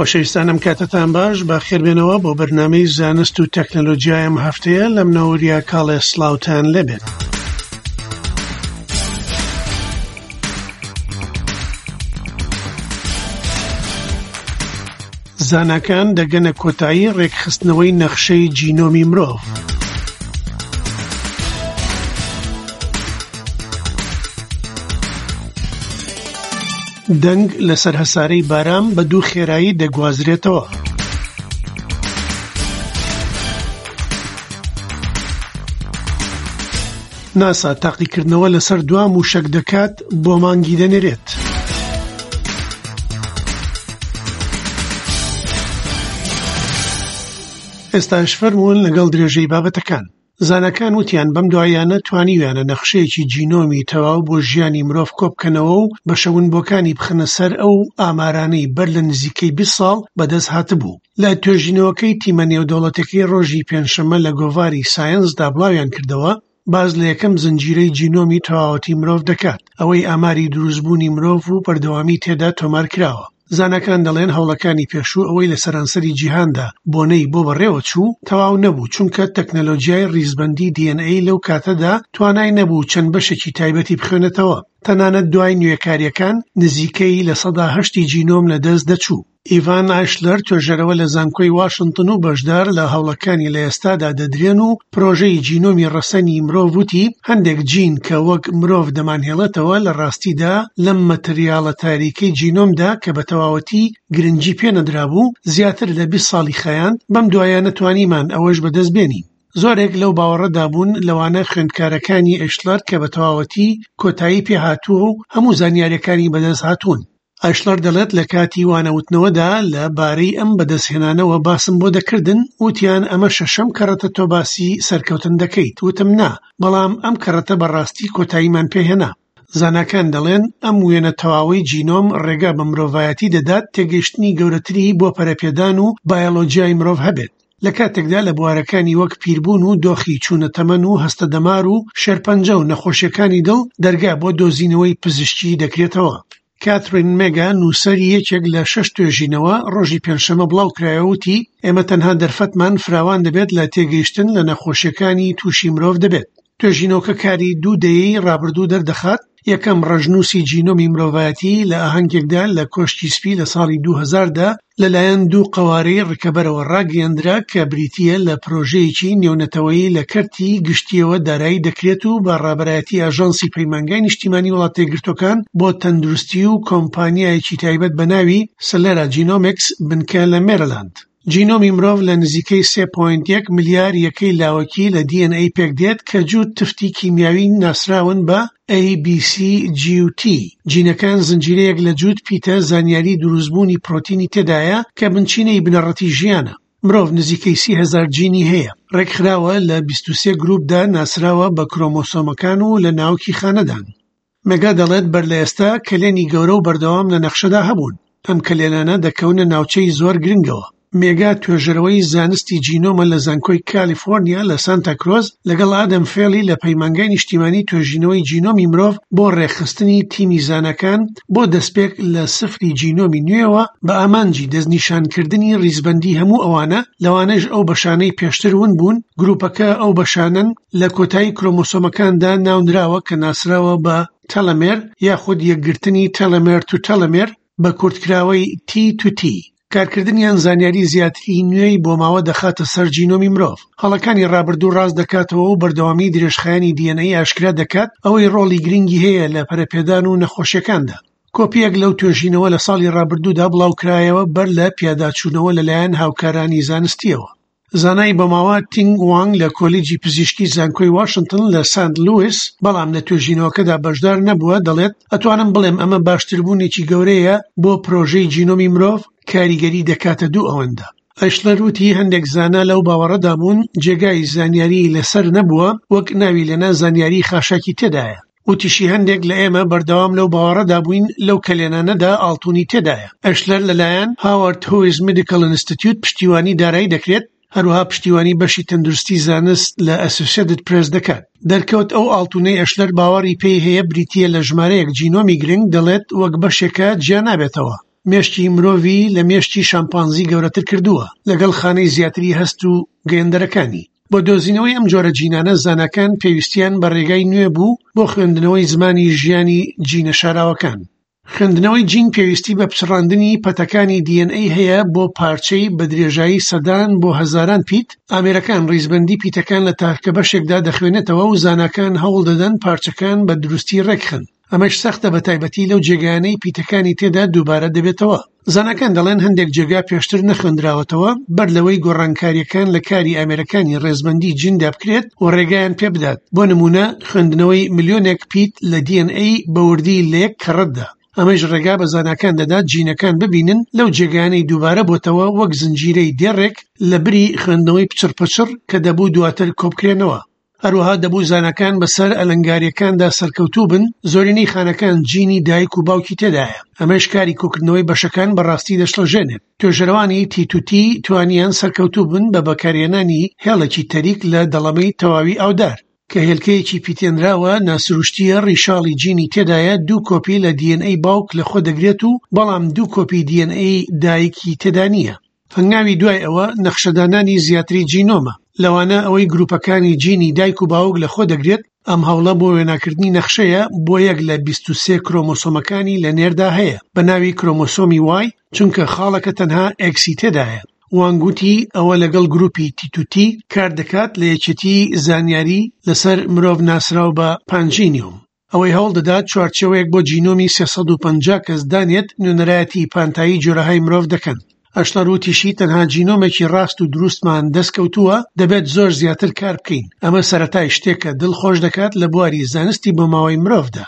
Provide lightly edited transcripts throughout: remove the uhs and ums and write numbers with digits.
خۆشەویستان ئەم کاتەتان باش بە خێربێنەوە بۆ بەرنامەی زانست و تەکنەلۆجیای ئەم هەفتەیە لەم نەوریا کاڵێ سڵاوتان لێبێت. زاناکان دەگەنە کۆتایی ڕێکخستنەوەی نەخشەی جینۆمی مرۆڤ. دەنگ لەسەر هەسارەی بارام بە دوو خێرایی دەگوازرێتەوە. ناسا تاقیکردنەوە لەسەر دوا مووشەک دەکات بۆ مانگی دەنێرێت. ئێستاش فەرموون لەگەڵ درێژەی بابەتەکان. زاناکان وتیان بەم دواییانە توانیویانە نەخشەیەکی جینۆمی تەواو بۆ ژیانی مرۆڤ کۆبکەنەوە و بەشە ونبووەکانی بخەنە سەر ئەو ئامارانەی بەر لە نزیکەی 20 ساڵ بەدەست هاتبوو. لە توێژینەوەکەی تیمە نێودەوڵەتیەکەی ڕۆژی پێنجشەممە لە گۆڤاری سایەنسدا بڵاویان کردەوە، باس لە یەکەم زنجیرەی جینۆمی تەواوەتی مرۆڤ دەکات، ئەوەی ئاماری دروستبوونی مرۆڤ و بەردەوامی تێدا تۆمارکراوە. زاناکان دەڵێن هەوڵەکانی پێشوو ئەوەی لە سەرانسەری جیهاندا بۆنەی بۆ بەڕێوەچوو، تەواو نەبوو، چونکە تەکنەلۆجیای ڕیزبەندی DNA لەو کاتەدا توانای نەبوو چەند بەشێکی تایبەتی بخوێنێتەوە. تەنانەت دوای نوێکارییەکان نزیکەی 8% ی جینۆم لەدەست دەچوو. ئیڤان ئایشلەر توێژەرەوە لە زانکۆی واشنتن و بەشدار لە هەوڵەکانی لە ئێستادا دەدرێن و پرۆژەی جینۆمی ڕەسەنی مرۆڤ وتی، هەندێک جین کە وەک مرۆڤ دەمانهێڵێتەوە لە ڕاستیدا لەم مەتریاڵە تاریکەی جینۆمدا کە بە تەواوەتی گرنگی پێنەدرابوو زیاتر لە 20 ساڵی خایاند، بەم دوایانە توانیمان ئەوەش بەدەست بێنین. زۆرێک لەو باوەڕەدا بوون، لەوانە خوێندکارەکانی ئەیشلەر کە بە تەواوەتی کۆتایی پێهاتووە و هەموو زانیارییەکانی بەدەست هاتوون. ئایشلەر دەڵێت لە کاتی وانەوتنەوەدا لە بارەی ئەم بەدەستهێنانەوە باسم بۆ دەکردن، وتیان ئەمە شەشەم کەڕەتە تۆ باسی سەرکەوتن دەکەیت، وتم نا، بەڵام ئەم کەڕەتە بە ڕاستی کۆتاییمان پێهێنا. زاناکان دەڵێن ئەم وێنە تەواوەی جینۆم ڕێگا بە مرۆڤایەتی دەدات تێگەیشتنی گەورەتری بۆ پەرەپێدان و بایۆلۆجیای مرۆڤ هەبێت، لە کاتێکدا لە بوارەکانی وەک پیربوون و دۆخی چوونە تەمەن و هەستە دەمار و شێرپەنجە و نەخۆشیەکانی دڵ دەرگا بۆ دۆزینەوەی پزیشکی دەکرێتەوە. کاترین مێگا نووسەری یەکێک لە شەش توێژینەوە ڕۆژی پێنجشەممە بڵاوکرایەوە وتی، ئێمە تەنها دەرفەتمان فراوان دەبێت لە تێگەیشتن لە نەخۆشیەکانی تووشی مرۆڤ دەبێت. توێژینەوەکە کاری دوو دەیەی ڕابردوو دەردەخات، یەکەم ڕەشنووسی جینۆمی مرۆڤایەتی لە ئاهەنگێکدا لە کۆشکی سپی لە ساڵی 2000 دا لەلایەن دوو قەوارەی ڕکەبەرەوە ڕاگەیەندرا کە بریتییە لە پرۆژەیەکی نێونەتەوەیی لە کەرتی گشتییەوە دارایی دەکرێت و بە ڕابەرایەتی ئاژانسی پەیمانگای نیشتیمانی وڵاتەیەکگرتووەکان بۆ تەندروستی و کۆمپانیایەکی تایبەت بە ناوی سلێرا جینۆمیکس بنکە لە مێرلاند. جینۆمی مرۆڤ لە نزیکەی سێ پۆینت یەک ملیار یەکەی لاوەکی لە DNA پێکدێت کە جووت تفتی کیمیاوی ناسراون بە A، B، C، G و T. جینەکان زنجیرەیەک لە جووت پیتە زانیاری دروستبوونی پرۆتینی تێدایە کە بنچینەی بنەڕەتی ژیانە. مرۆڤ نزیکەی 30,000 جینی هەیە. ڕێکخراوە لە 23 گرووپدا ناسراوە بە کرۆمۆسۆمەکان و لە ناوکی خانەدان. مێگا دەڵێت بەر لە ئێستا کەلێنی گەورە و بەردەوام لە نەخشەدا هەبوون، ئەم کەلێنانە دەکەونە ناوچەی زۆر گرنگەوە. مێگا توێژەرەوەی زانستی جینۆمە لە زانکۆی کالیفۆرنیا لە سانتا کرۆز لەگەڵ ئادەم فێڵی لە پەیمانگای نیشتیمانی توێژینەوەی جینۆمی مرۆڤ بۆ ڕێکخستنی تیمی زاناکان بۆ دەستپێک لە سفری جینۆمی نوێوە بە ئامانجی دەستنیشانکردنی ڕیزبەندی هەموو ئەوانە لەوانەش ئەو بەشانەی پێشتر ون بوون، گروپەکە ئەو بەشانەن لە کۆتایی کرۆمۆسۆمەکاندا ناونراوە کە ناسراوە بە تەلەمێر یاخود یەکگرتنی تەلەمێر تو تەلەمێر بە کورتکراوەی T to T. کارکردنیان زانیاری زیاتری نوێی بۆماوە دەخاتە سەر جینۆمی مرۆڤ، هەڵەکانی ڕابردوو ڕاست دەکاتەوە و بەردەوامی درێژخایەنی DNA ئاشکرا دەکات، ئەوەی ڕۆڵی گرنگی هەیە لە پەرەپێدان و نەخۆشیەکاندا. کۆپییەک لەو توێژینەوە لە ساڵی ڕابردوودا بڵاوکرایەوە بەر لە پیاداچوونەوە لەلایەن هاوکارانی زانستییەوە. زانای بۆماوە تینگ وانگ لە کۆلیجی پزیشکی زانکۆی واشنتن لە سانت لویس، بەڵام لە توێژینەوەکەدا بەشدار نەبووە، دەڵێت، ئەتوانم بڵێم ئەمە باشتربوونێکی گەورەیە بۆ پرۆژەی جینۆمی مرۆڤ، کاریگەری دەکاتە دوو ئەوەندە. ئەیشلەر وتی هەندێک زانا لەو باوەڕەدا بوون جێگای زانیاریی لەسەر نەبووە، وەک ناوی لێنا زانیاریی خاشاکی تێدایە. وتیشی هەندێک لە ئێمە بەردەوام لەو باوەڕەدا بووین لەو کەلێنانەدا ئاڵتونی تێدایە. ئەشلەر لەلایەن هاوارد هویز میدیکەڵ ئینستیتیوت پشتیوانی دارایی دەکرێت، هەروەها پشتیوانی بەشی تەندروستی زانست لە ئەسۆسیەتد پرێس دەکات. دەرکەوت ئەو ئاڵتونەی ئەشلەر باوەڕی پێی هەیە بریتییە لە ژمارەیەک جینۆمی گرنگ، دەڵێت وەک بەشێکە جیا نابێتەوە. مێشکی مرۆڤی لە مێشکی شامپانزی گەورەتر کردووە، لەگەڵ خانەی زیاتری هەست و گەیەندەرەکانی. بۆ دۆزینەوەی ئەم جۆرە جینانە زاناکان پێویستیان بە ڕێگای نوێ بوو بۆ خوێندنەوەی زمانی ژیانی جینە شاراوەکان. خوێندنەوەی جین پێویستی بە پچڕاندنی پەتەکانی DNA هەیە بۆ پارچەی بە درێژایی سەدان بۆ هەزاران پیت، ئامێرەکان ڕیزبەندی پیتەکان لە تاکە بەشێکدا دەخوێنێتەوە و زاناکان هەوڵدەدەن پارچەکان بە دروستی ڕێکخەن. ئەمەش سەختە بەتایبەتی لەو جێگایانەی پیتەکانی تێدا دووبارە دەبێتەوە. زاناکان دەڵێن هەندێک جێگا پێشتر نەخوێندراوەتەوە بەر لەوەی گۆڕانکارییەکان لە کاری ئامێرەکانی ڕێزبەندی جیندا بکرێت و ڕێگایان پێبدات، بۆ نموونە خوێندنەوەی ملیۆنێک پیت لە DNA بە وردی لە یەک کەڕەتدا. ئەمەش ڕێگا بە زاناکان دەدات جینەکان ببینن لەو جێگایانەی دووبارە بۆتەوە وەک زنجیرەی دێڕێک لەبری خوێندنەوەی پچڕپچڕ کە دەبوو دواتر کۆبکرێنەوە. هەروەها دەبوو زاناکان بەسەر ئەلەنگارییەکاندا سەرکەوتوو بن، زۆرینەی خانەکان جینی دایک و باوکی تێدایە، ئەمەش کاری کۆکردنەوەی بەشەکان بە ڕاستی دەشڵەژێنێت. توێژەرەوانی تی تو تی توانیان سەرکەوتوو بن بە بەکارهێنانی هێڵێکی تەریک لە دەڵەمەی تەواوی ئاودار، کە هێلکەیەکی پیتێنراوە ناسروشتییە ڕیشاڵی جینی تێدایە دوو کۆپی لە DNA باوک لەخۆ دەگرێت و بەڵام دوو کۆپی DNA دایکی تێدا نییە. هەنگاوی دوای ئەوە نەخشەدانانی زیاتری جینۆمە، لەوانە ئەوەی گروپەکانی جینی دایک و باوک لەخۆ دەگرێت، ئەم هەوڵە بۆ وێناکردنی نەخشەیە بۆ یەک لە 23 کرۆمۆسۆمەکانی لە نێردا هەیە بە ناوی کرۆمۆسۆمی وای، چونکە خاڵەکە تەنها ئێکسی تێدایە. وانگ وتی ئەوە لەگەڵ گروپی تی تو تی کار دەکات لە یەکێتی زانیاری لەسەر مرۆڤ ناسراو بە پانجینیۆم. ئەوەی هەوڵ دەدات چوارچێوەیەک بۆ جینۆمی 350 کەس دانێت نوێنەرایەتی پانتایی جۆرەهای مرۆڤ دەکەن. ئەشلەر وتیشی تەنها جینۆمێکی ڕاست و دروستمان دەستکەوتووە، دەبێت زۆر زیاتر کار بکەین. ئەمە سەرەتای شتێکە دڵ خۆش دەکات لە بواری زانستی بۆماوەی مرۆڤدا.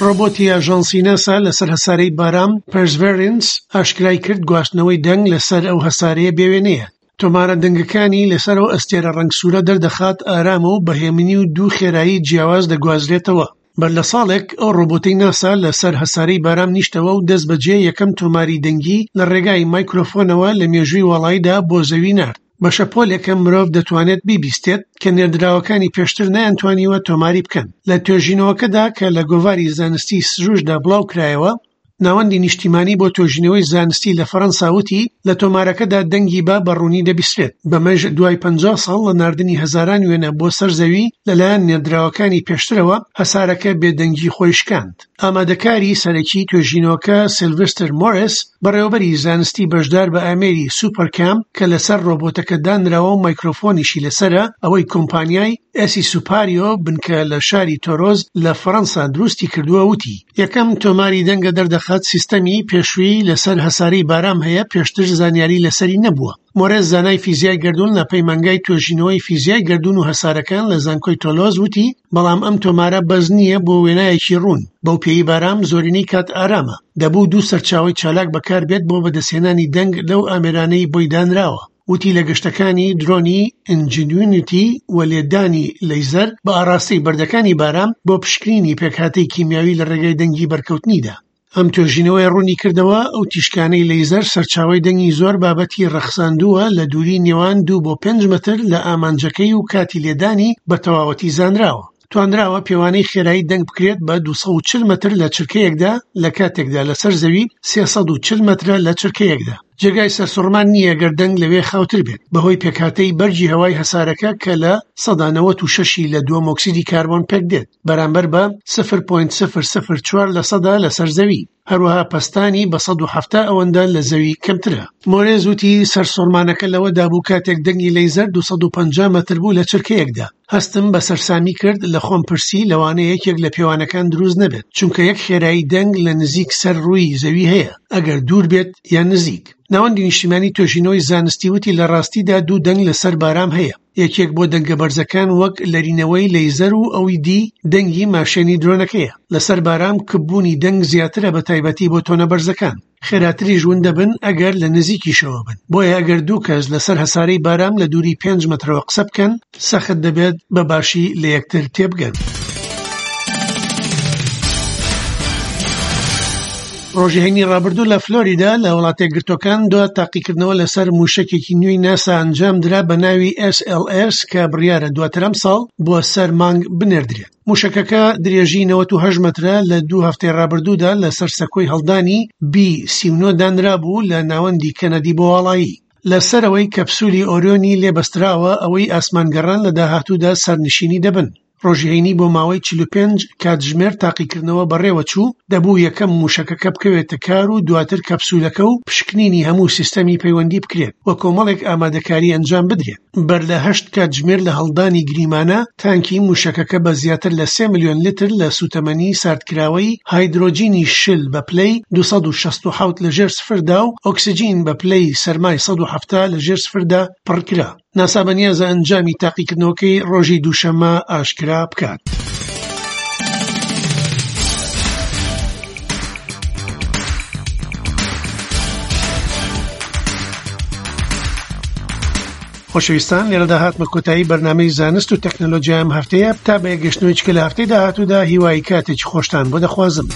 ڕۆبۆتی ئاژانسی ناسا لەسەر هەسارەی بارام پێرسڤێرنس ئاشکرای کرد گواستنەوەی دەنگ لەسەر ئەو هەسارەیە بێوێنەیە. تۆمارە دەنگەکانی لەسەر ئەو ئەستێرە ڕەنگ سوورە دەردەخات ئارامە و بە هێمنی و دوو خێرایی جیاواز دەگوازرێتەوە. بەر لە ساڵێک ئەو ڕۆبۆتەی ناسا لەسەر هەسارەی بارام نیشتەوە و دەستبەجێ یەکەم تۆماری دەنگی لە ڕێگای مایکرۆفۆنەوە لە مێژووی واڵاییدا بۆ زەوی نارد. بە شەپۆلێکە مرۆڤ دەتوانێت بیبیستێت کە نێردراوەکانی پێشتر نەیانتوانیوە تۆماری بکەن. لە توێژینەوەکەدا کە لە گۆڤاری زانستی سروشتدا بڵاوکرایەوە، ناوەندی نیشتیمانی بۆ توێژینەوەی زانستی لە فەرەنسا وتی، لە تۆمارەکەدا دەنگی با بە ڕوونی دەبیسترێت، بەمەش دوای 50 ساڵ لە ناردنی هەزاران وێنە بۆ سەر زەوی لەلایەن نێردراوەکانی پێشترەوە، هەسارەکە بێدەنگی خۆی شکاند. ئامادەکاری سەرەکی توێژینەوەکە سیلڤستر مۆرێس، بەڕێوەبەری زانستی بەشدار بە ئامێری سوپەرکام کە لەسەر ڕۆبۆتەکە دانراوە و مایکرۆفۆنیشی لەسەرە، ئەوەی کۆمپانیای ئێسی سوپاریۆ بنکە لە شاری تۆرۆز لە فەرەنسا دروستی کردووە، وتی، یەکەم تۆماری دەنگە دەردەخات سیستەمی پێشووی لەسەر هەسارەی بارام هەیە پێشتر زانیاری لەسەری نەبووە. مۆرێس زانای فیزیای گەردوون لە پەیمانگای توێژینەوەی فیزیای گەردوون و هەسارەکان لە زانکۆی تۆلۆز وتی، بەڵام ئەم تۆمارە بەس نییە بۆ وێنایەکی ڕوون، بەو پێیەی بارام زۆرینەی کات ئارامە، دەبوو دوو سەرچاوەی چالاک بەکاربێت بۆ بەدەستهێنانی دەنگ لەو ئامێرانەی بۆی دانراوە. وتی لە گەشتەکانی درۆنی ئینجینوینیتی و لێدانی لەیزەر بە ئاڕاستەی بەردەکانی بارام بۆ پشکنینی پێکهاتەی کیمیاوی لە ڕێگای دەنگی بەرکەوتنیدا. ئەم توێژینەوەیە ڕوونی کردەوە ئەو تیشکانەی لەیزەر سەرچاوەی دەنگی زۆر بابەتی ڕەخساندووە لە دووری نێوان دوو بۆ پێنج مەتر لە ئامانجەکەی و کاتی لێدانی بە تەواوەتی زانراوە. توانراوە پێوانەی خێرایی دەنگ بکرێت بە 240 مەتر لە چرکەیەکدا لە کاتێکدا لەسەر زەوی 340 مەترە لە چرکەیەکدا. جێگای سەرسوڕمان نییە گەر دەنگ لەوێ خاوتر بێت بەهۆی پێکهاتەی بەرگی هەوای هەسارەکە کە لە 96% ی لە دووەم ئۆکسیدی کاربۆن پێکدێت بەرامبەر بە 0.004 لەسەدا لەسەر زەوی. هەروەها پەستانی بە 170 ئەوەندە لە زەوی کەمترە. مۆرێز وتی، سەرسوڕمانەکە لەوەدا بوو کاتێک دەنگی لەیزەر 250 مەتر بوو لە چرکەیەکدا. هەستم بە سەرسامی کرد، لە خۆم پرسی لەوانەیە یەکێک لە پێوانەکان دروست نەبێت، چونکە یەک خێرایی دەنگ لە نزیک سەر ڕووی زەوی هەیە، ئەگەر دوور بێت یان نزیک. ناوەندی نیشتیمانی توێژینەوەی زانستی وتی لە ڕاستیدا دوو دەنگ لەسەر بارام هەیە، یەکێک بۆ دەنگە بەرزەکان وەک لەرینەوەی لەیزەر و ئەوی دی دەنگی ماشێنی درۆنەکەیە. لەسەر بارام کپبوونی دەنگ زیاترە بە تایبەتی بۆ تۆنە بەرزەکان. خێراتریش ون دەبن ئەگەر لە نزیکیشەوە بن. بۆیە ئەگەر دوو کەس لەسەر هەسارەی بارام لە دووری پێنج مەترەوە قسە بکەن، سەخت دەبێت بە باشی لە یەکتر تێبگەن. ڕۆژی هەینی ڕابردوو لە فلۆریدا لە وڵاتە یەکگرتووەکان دوا تاقیکردنەوە لەسەر مووشەکێکی نوێی ناسا ئەنجامدرا بە ناوی SLS کە بڕیارە دواتر ئەمساڵ بۆ سەر مانگ بنێردرێت. مووشەکەکە درێژی 98 مەترە لە دوو هەفتەی ڕابردوودا لەسەر سەکۆی هەڵدانی بی 39 دانرابوو لە ناوەندی کەنەدی بۆ واڵایی. لە سەرەوەی کەپسولی ئۆریۆنی لێ بەستراوە ئەوەی ئاسمانگەڕان لە داهاتوودا سەرنشینی دەبن. ڕۆژی هەینی بۆ ماوەی 45 کاتژمێر تاقیکردنەوە بەڕێوەچوو، دەبوو یەکەم مووشەکەکە بکەوێتە کار و دواتر کەپسولەکە و پشکنینی هەموو سیستەمی پەیوەندی بکرێت و کۆمەڵێک ئامادەکاری ئەنجام بدرێت. بەر لە هەشت کاتژمێر لە هەڵدانی گریمانە، تانکی مووشەکەکە بە زیاتر لە سێ ملیۆن لتر لە سووتەمەنی ساردکراوەی هایدرۆجینی شل بە پلەی 267 لە ژێر سفردا و ئۆکسجین بە پلەی سەرمای 170 لە ژێر سفردا پڕکرا. ناسا بەنیازە ئەنجامی تاقیکردنەوەکەی ڕۆژی دووشەممە ئاشکرا بکات. خۆشەویستان لێرەدا هاتمە کۆتایی بەرنامەی زانست و تەکنەلۆژیای ئەم هەفتەیە تا بە یەکگەشتنەوەی چکە لە هەفتەی داهاتوودا هیوای کاتێکی خۆشتان بۆ دەخوازم.